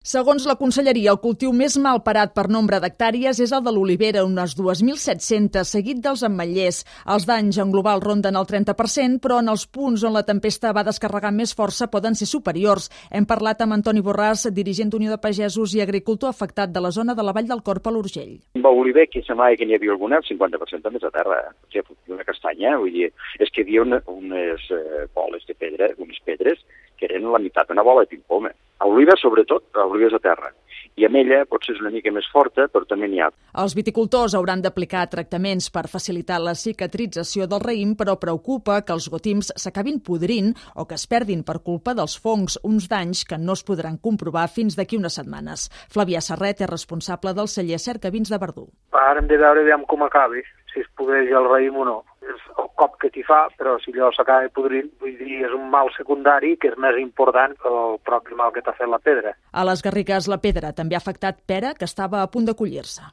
Segons la Conselleria, el cultiu més mal parat per nombre d'hectàrees és el de l'olivera, unes 2.700, seguit dels ametllers. Els danys en global ronden el 30%, però en els punts on la tempesta va descarregar més força poden ser superiors. Hem parlat amb Antoni Borràs, dirigent d'Unió de Pagesos i agricultor afectat de la zona de la Vall del Corp a l'Urgell. Amb l'oliver, que semblava que n'hi havia alguna, el 50% també és a terra. O sigui, una castanya, vull dir, és que hi havia unes boles de pedra, unes pedres, que eren la meitat d'una bola de ping-pong. A l'oliva, sobretot, l'oliva és a terra. I amb ella potser és una mica més forta, però també n'hi ha. Els viticultors hauran d'aplicar tractaments per facilitar la cicatrització del raïm, però preocupa que els gotims s'acabin podrint o que es perdin per culpa dels fongs, uns danys que no es podran comprovar fins d'aquí unes setmanes. Flavià Serret és responsable del celler Cercavins de Verdú. Ara hem de veure com acabi, si es podreix el raïm o no. És el cop que t'hi fa, però si allò s'acaba podrint, vull dir, és un mal secundari que és més important que el propi mal que t'ha fet la pedra. A les Garrigues, la pedra també ha afectat pera, que estava a punt de collir-se.